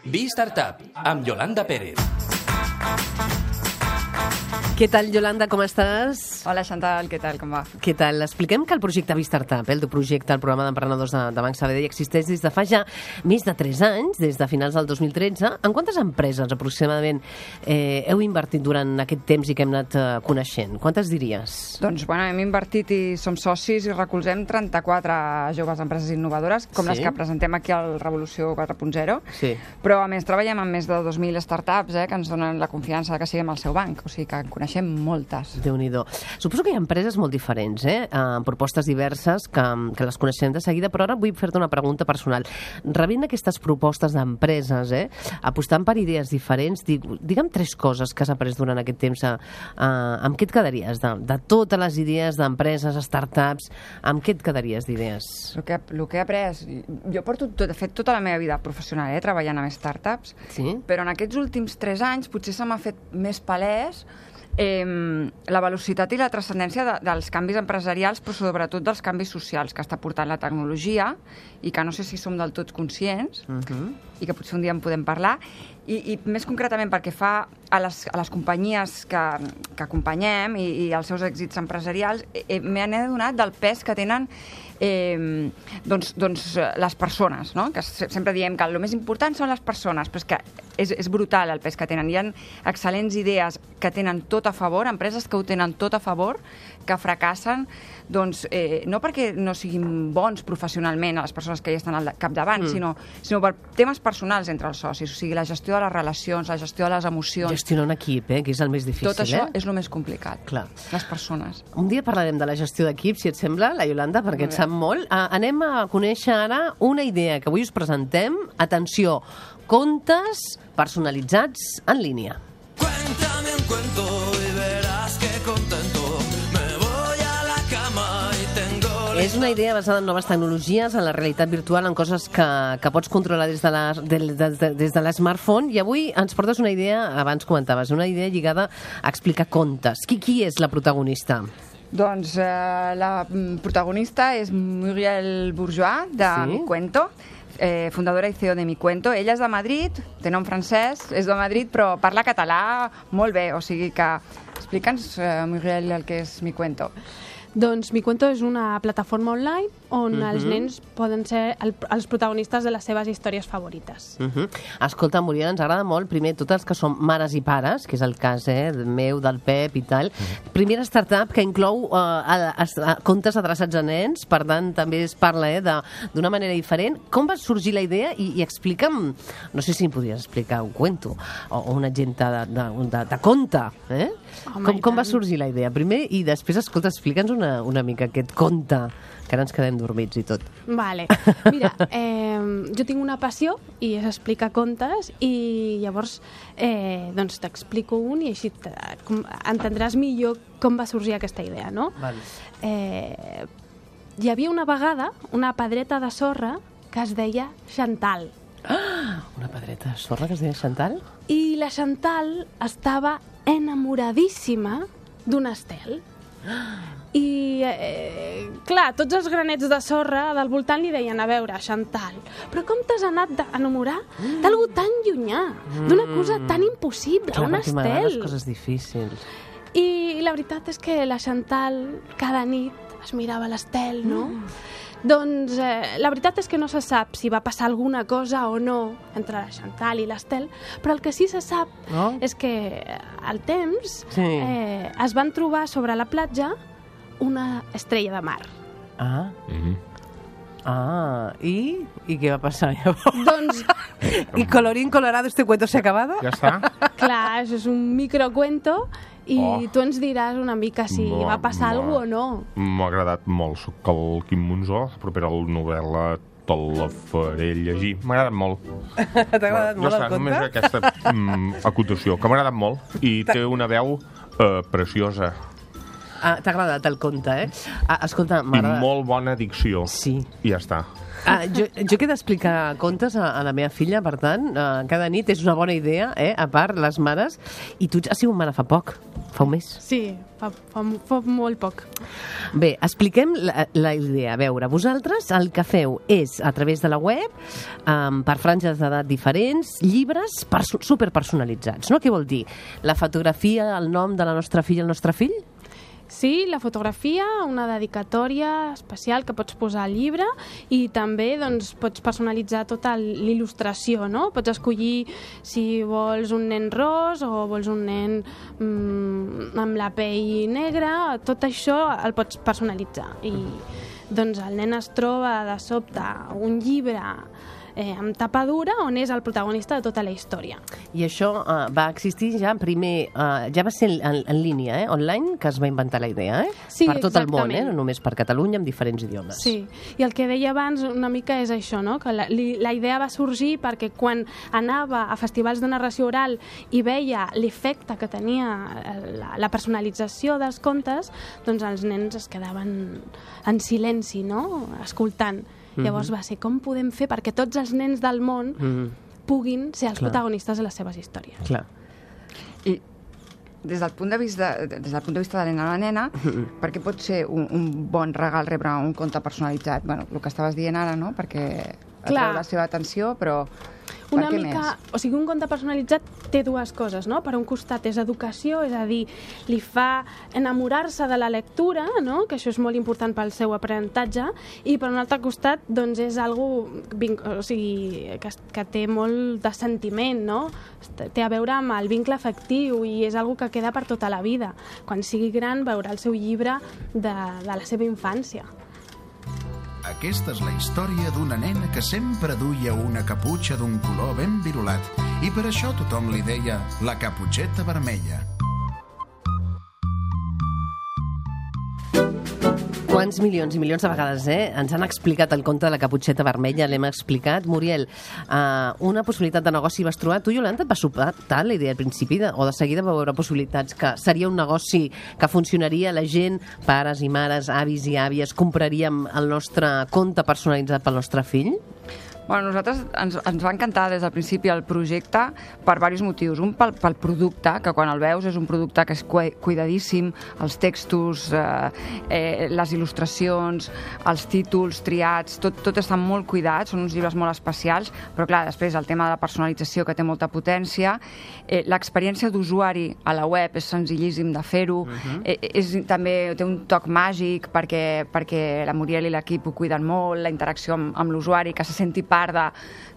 Be-Startup, amb Yolanda Pérez. Què tal, Yolanda, com estàs? Hola, Chantal, què tal, com va? Què tal? Expliquem que el projecte Be-Startup, el teu projecte, el programa d'emprenedors de Banc Sabadell, existeix des de fa ja més de 3 anys, des de finals del 2013. En quantes empreses aproximadament heu invertit durant aquest temps i que hem anat coneixent? Quantes diries? Doncs, bueno, hem invertit i som socis i recolzem 34 joves empreses innovadores, com les que presentem aquí al Revolució 4.0. Sí. Però, a més, treballem amb més de 2.000 startups que ens donen la confiança que siguem al seu banc, o sigui que en coneixem moltes. Déu-n'hi-do. Suposo que hi ha empreses molt diferents, amb propostes diverses que les coneixem de seguida, però ara vull fer-te una pregunta personal. Rebent aquestes propostes d'empreses, apostant per idees diferents, digue'm 3 coses que has après durant aquest temps. Amb què et quedaries? De totes les idees d'empreses, startups, amb què et quedaries d'idees? El que he après... Jo porto, de fet, tota la meva vida professional treballant amb startups, però en aquests últims 3 anys potser se m'ha fet més palès la velocitat i la transcendència dels canvis empresarials, però sobretot dels canvis socials que està portant la tecnologia i que no sé si som del tot conscients i que potser un dia en podem parlar. I més concretament perquè fa a les companyies que acompanyem i als seus èxits empresarials, m'he adonat del pes que tenen les persones, no? Que sempre diem que el més important són les persones, però és que és brutal el pes que tenen. Hi ha excel·lents idees que tenen tot a favor, empreses que ho tenen tot a favor, que fracassen, doncs, no perquè no siguin bons professionalment a les persones que hi estan al capdavant, sinó per temes personals entre els socis, o sigui, la gestió de les relacions, la gestió de les emocions. Gestionar un equip, que és el més difícil. Tot això és el més complicat. Clar. Les persones. Un dia parlarem de la gestió d'equip, si et sembla, la Yolanda, perquè et sap molt. Anem a conèixer ara una idea que avui us presentem. Atenció, contes personalitzats en línia. Cuéntame un cuento y verás que contento me voy a la cama y tengo... És una idea basada en noves tecnologies, en la realitat virtual, en coses que pots controlar des de l'smartphone, i avui ens portes una idea, abans comentaves, una idea lligada a explicar contes. Qui és la protagonista? Doncs la protagonista és Muriel Bourgeois, de Mi Cuento, fundadora i CEO de Mi Cuento. Ella és de Madrid, té nom francès, és de Madrid, però parla català molt bé, o sigui que explica'ns, Muriel, el que és Mi Cuento. Doncs Mi Cuento és una plataforma online on els nens poden ser els protagonistes de les seves històries favorites. Escolta, Muriel, ens agrada molt, primer, tots els que som mares i pares, que és el cas meu, del Pep i tal. Primera startup que inclou contes adreçats a nens, per tant, també es parla d'una manera diferent. Com va sorgir la idea? I explica'm, no sé si em podries explicar un cuento o un exemple de conte, Com va sorgir la idea? Primer, i després, escolta, explica'ns una mica aquest conte, que ara ens quedem dormits i tot. Vale. Mira, jo tinc una passió i és explicar contes, i llavors doncs t'explico un i així entendràs millor com va sorgir aquesta idea, no? Vale. Hi havia una vegada una pedreta de sorra que es deia Chantal. Una pedreta de sorra que es deia Chantal? I la Chantal estava enamoradíssima d'un estel. I, clar, tots els granets de sorra del voltant li deien, a veure, Chantal, però com t'has anat d'enamorar d'algú tan llunyà, d'una cosa tan impossible, clar, un estel? Clar, m'agraden les coses difícils. I la veritat és que la Chantal cada nit es mirava l'estel, no? Doncs la veritat és que no se sap si va passar alguna cosa o no entre la Chantal i l'Estel, però el que sí se sap és que al temps es van trobar sobre la platja una estrella de mar. ¿Y qué va a pasar llavors? Doncs... ¿Y colorín colorado este cuento se ha acabado? Ja està? Clar, això és un microcuento i tu ens diràs una mica si va passar alguna cosa o no. M'ha agradat molt. Soc el Quim Monzó, propera a la novel·la te la faré llegir. M'ha agradat molt. T'ha agradat molt el conte? Només aquesta acotació, que m'ha agradat molt. I té una veu preciosa. T'ha agradat el conte, Escolta, I molt bona dicció. Sí. I ja està. Jo que he d'explicar contes a la meva filla, per tant, cada nit és una bona idea, a part, les mares, i tu has sigut mare fa poc, fa un mes. Sí, fa molt poc. Bé, expliquem la idea. A veure, vosaltres el que feu és, a través de la web, per franges d'edat diferents, llibres superpersonalitzats, no? Què vol dir? La fotografia, el nom de la nostra filla, el nostre fill? Sí, la fotografia, una dedicatòria especial que pots posar al llibre i també doncs, pots personalitzar tota l'il·lustració, no? Pots escollir si vols un nen ros o vols un nen amb la pell negra, tot això el pots personalitzar. I doncs el nen es troba de sobte un llibre amb tapa dura on és el protagonista de tota la història. I això va existir ja primer, ja va ser en línia, online, que es va inventar la idea, Sí, per tot el món, exactament. no només per Catalunya, amb diferents idiomes. Sí, i el que deia abans una mica és això, no? Que la idea va sorgir perquè quan anava a festivals de narració oral i veia l'efecte que tenia la personalització dels contes, doncs els nens es quedaven en silenci, no? Escoltant. Llavors va ser com podem fer perquè tots els nens del món puguin ser els protagonistes de les seves històries. Clar. I des del punt de vista de la nena, perquè pot ser un bon regal rebre un conte personalitzat? Bueno, el que estaves dient ara, no? Perquè atreu la seva atenció, però Una mica, o sigui, un conte personalitzat té dues coses, no? Per un costat és educació, és a dir, li fa enamorar-se de la lectura, no? Que això és molt important pel seu aprenentatge, i per un altre costat, doncs és algo, o sigui, que té molt de sentiment, no? Té a veure amb el vincle afectiu i és algo que queda per tota la vida. Quan sigui gran veurà el seu llibre de la seva infància. Aquesta és la història d'una nena que sempre duia una caputxa d'un color ben virulat i per això tothom li deia la caputxeta vermella. Quants milions i milions de vegades ens han explicat el conte de la caputxeta vermella, l'hem explicat. Muriel, una possibilitat de negoci vas trobar. Tu, Iolanda, et va sobtar la idea al principi o de seguida va veure possibilitats que seria un negoci que funcionaria, la gent, pares i mares, avis i àvies, compraríem el nostre conte personalitzat pel nostre fill? Bueno, nosaltres ens va encantar des del principi el projecte per diversos motius. Un, pel producte, que quan el veus és un producte que és cuidadíssim, els textos, les il·lustracions, els títols triats, tot està molt cuidat, són uns llibres molt especials, però clar, després el tema de la personalització que té molta potència, l'experiència d'usuari a la web és senzillíssim de fer-ho, també té un toc màgic perquè la Muriel i l'equip ho cuiden molt, la interacció amb l'usuari, que se senti part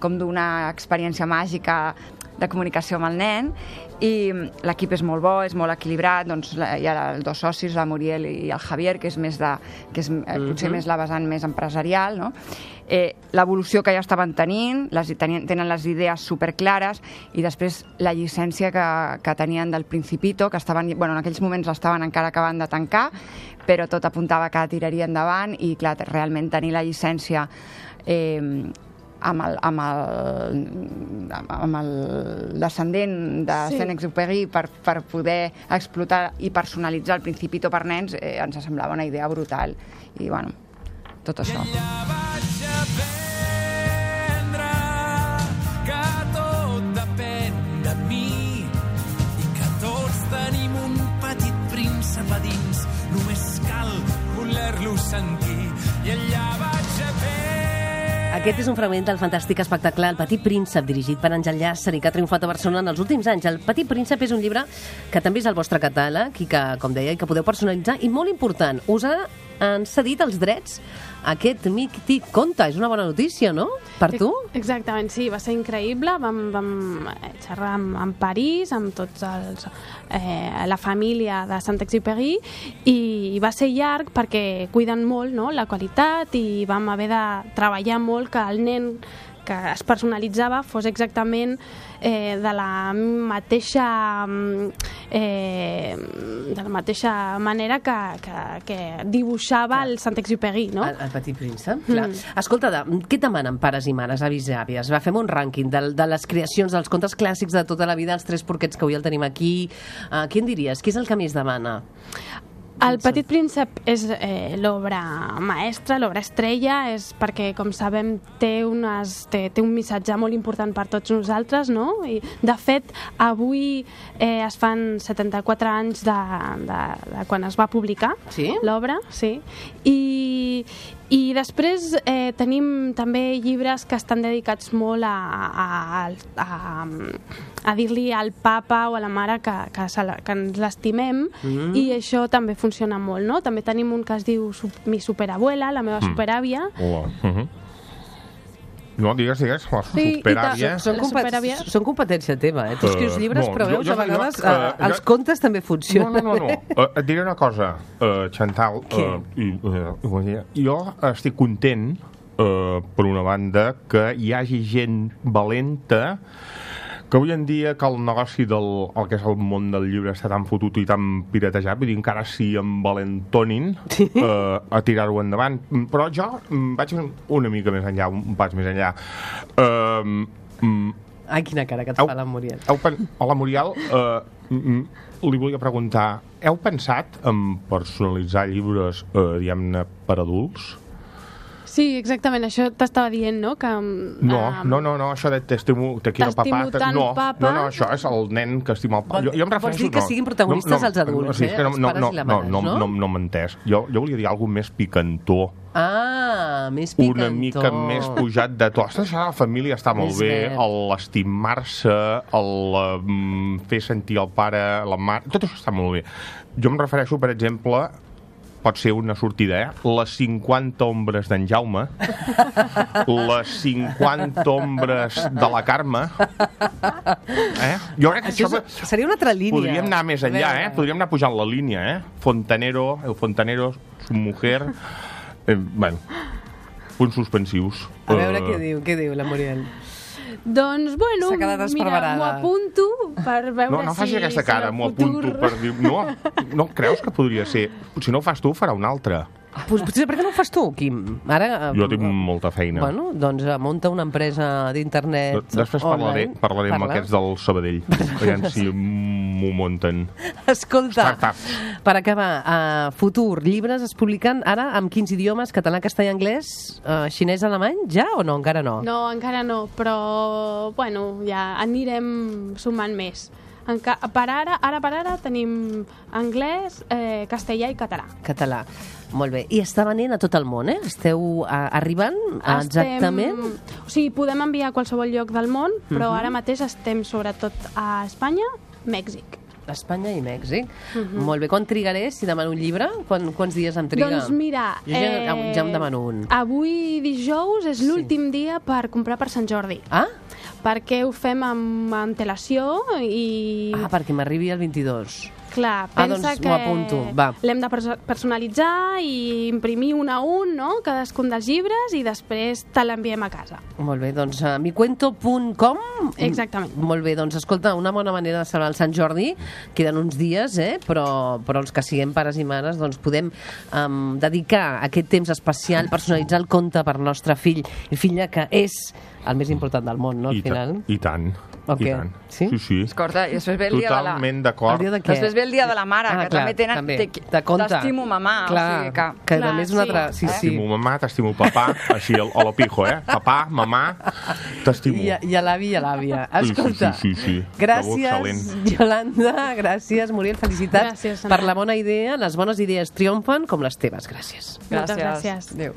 com d'una experiència màgica de comunicació amb el nen, i l'equip és molt bo, és molt equilibrat, doncs hi ha els dos socis, la Muriel i el Javier, que és potser més la vessant més empresarial, no? L'evolució que ja estaven tenint, tenen les idees superclares, i després la llicència que tenien del Principito, que en aquells moments l'estaven encara acabant de tancar, però tot apuntava que tiraria endavant, i clar, realment tenir la llicència amb el descendent de Saint-Exupéry per poder explotar i personalitzar el Principito per nens, ens semblava una idea brutal. I, bueno, tot això. Vaig aprendre que tot depèn de mi i que tots tenim un petit príncep a dins, només cal voler-lo sentir, i allà vaig aprendre. Aquest és un fragment del fantàstic espectacle El Petit Príncep, dirigit per Àngel Llàcer i que ha triomfat a Barcelona en els últims anys. El Petit Príncep és un llibre que també és el vostre catàleg i que, com deia, que podeu personalitzar, i molt important, us han cedit els drets a aquest mític conte. És una bona notícia, no? Per tu? Exactament, sí, va ser increïble. Vam xerrar amb París, amb tots la família de Saint-Exupéry, i va ser llarg perquè cuiden molt, no?, la qualitat, i vam haver de treballar molt que el nen que es personalitzava fos exactament de la mateixa manera que dibuixava el Saint-Exupéry, no? El Petit Príncep, clar. Escolta, què demanen pares i mares, avis i àvies? Va, fem un rànquing de les creacions, dels contes clàssics de tota la vida, els Tres Porquets, que avui el tenim aquí. Qui en diries? Qui és el que més demana? El Petit Príncep és l'obra maestra, l'obra estrella, és perquè, com sabem, té un missatge molt important per tots nosaltres, no? I, de fet, avui es fan 74 anys de quan es va publicar l'obra, sí. I després tenim també llibres que estan dedicats molt a dir-li al papa o a la mare que ens l'estimem, i això també funciona molt, no? També tenim un que es diu Mi superabuela, la meva superàvia. No, digues, la superàvia. Són competència teva, Tu escrius llibres, però veus, a vegades els contes també funcionen. No. Et diré una cosa, Chantal. Jo estic content, per una banda, que hi hagi gent valenta, que avui en dia que el negoci el que és el món del llibre està tan fotut i tan piratejat, vull dir, encara sí envalentonin a tirar-ho endavant. Però jo vaig una mica més enllà, un pas més enllà. Ai, quina cara que et fa la Muriel. Hola, Muriel. Li volia preguntar, heu pensat en personalitzar llibres, diguem-ne, per adults? Sí, exactament, això t'estava dient, no? Que, no, això de t'estimo tant papa... No, això és el nen que estima el papa. Vols dir que siguin protagonistes els adults, els pares i la mare, no? No m'he entès. Jo volia dir alguna més picantó. Més picantó. Una mica més pujat de tot. Això de la família està molt bé, l'estimar-se, el fer sentir el pare, la mare... Tot això està molt bé. Jo em refereixo, per exemple... pot ser una sortida, les 50 ombres d'en Jaume, les 50 ombres de la Carme. Jo crec que això seria una altra línia. Podríem anar més enllà, podríem anar pujant la línia, Fontanero, el fontanero, su mujer... Bueno, punts suspensius. A veure què diu la Muriel. Doncs, bueno, mira, m'ho apunto per veure no faci aquesta cara, m'ho apunto per dir... No creus que podria ser? Si no ho fas tu, ho farà un altre. Potser per què no ho fas tu, Quim? Jo tinc molta feina. Bueno, doncs munta una empresa d'internet. Després parlaré amb aquests del Sabadell. Aviam si m'ho munten. Escolta, per acabar, futur, llibres es publiquen ara amb quins idiomes? Català, castellà, anglès, xinès, alemany? Ja o no? Encara no? No, encara no, però bueno, ja anirem sumant més. Per ara tenim anglès, castellà i català. Català. Molt bé. I està venent a tot el món, Esteu arribant exactament? O sigui, podem enviar a qualsevol lloc del món, però ara mateix estem sobretot a Espanya, Mèxic. Espanya i Mèxic. Molt bé. Quan trigaré si demano un llibre? Quants dies em triga? Doncs mira... Jo ja em demano un. Avui dijous és l'últim dia per comprar per Sant Jordi. Perquè ho fem amb antelació i... perquè m'arribi el 22. Clar, pensa doncs m'ho apunto. Va. L'hem de personalitzar i imprimir un a un, no?, cadascun dels llibres, i després te l'enviem a casa. Molt bé, doncs micuento.com. Exactament. Molt bé, doncs escolta, una bona manera de celebrar el Sant Jordi. Queden uns dies, però els que siguem pares i mares doncs podem dedicar aquest temps especial, personalitzar el conte per nostre fill i filla, que és el més important del món, no, al final? I tant. I tant. Sí? Sí. Escolta, i després ve el dia de la... Totalment d'acord. Després ve el dia de la mare, que també tenen... T'estimo mamà. Clar, que també és una altra... T'estimo mamà, t'estimo papà, així a lo pijo, Papà, mamà, t'estimo. I a l'avi i a l'àvia. Escolta, sí. Gràcies, Yolanda, gràcies, Muriel, felicitats per la bona idea. Les bones idees triomfen com les teves. Gràcies. Moltes gràcies. Adéu.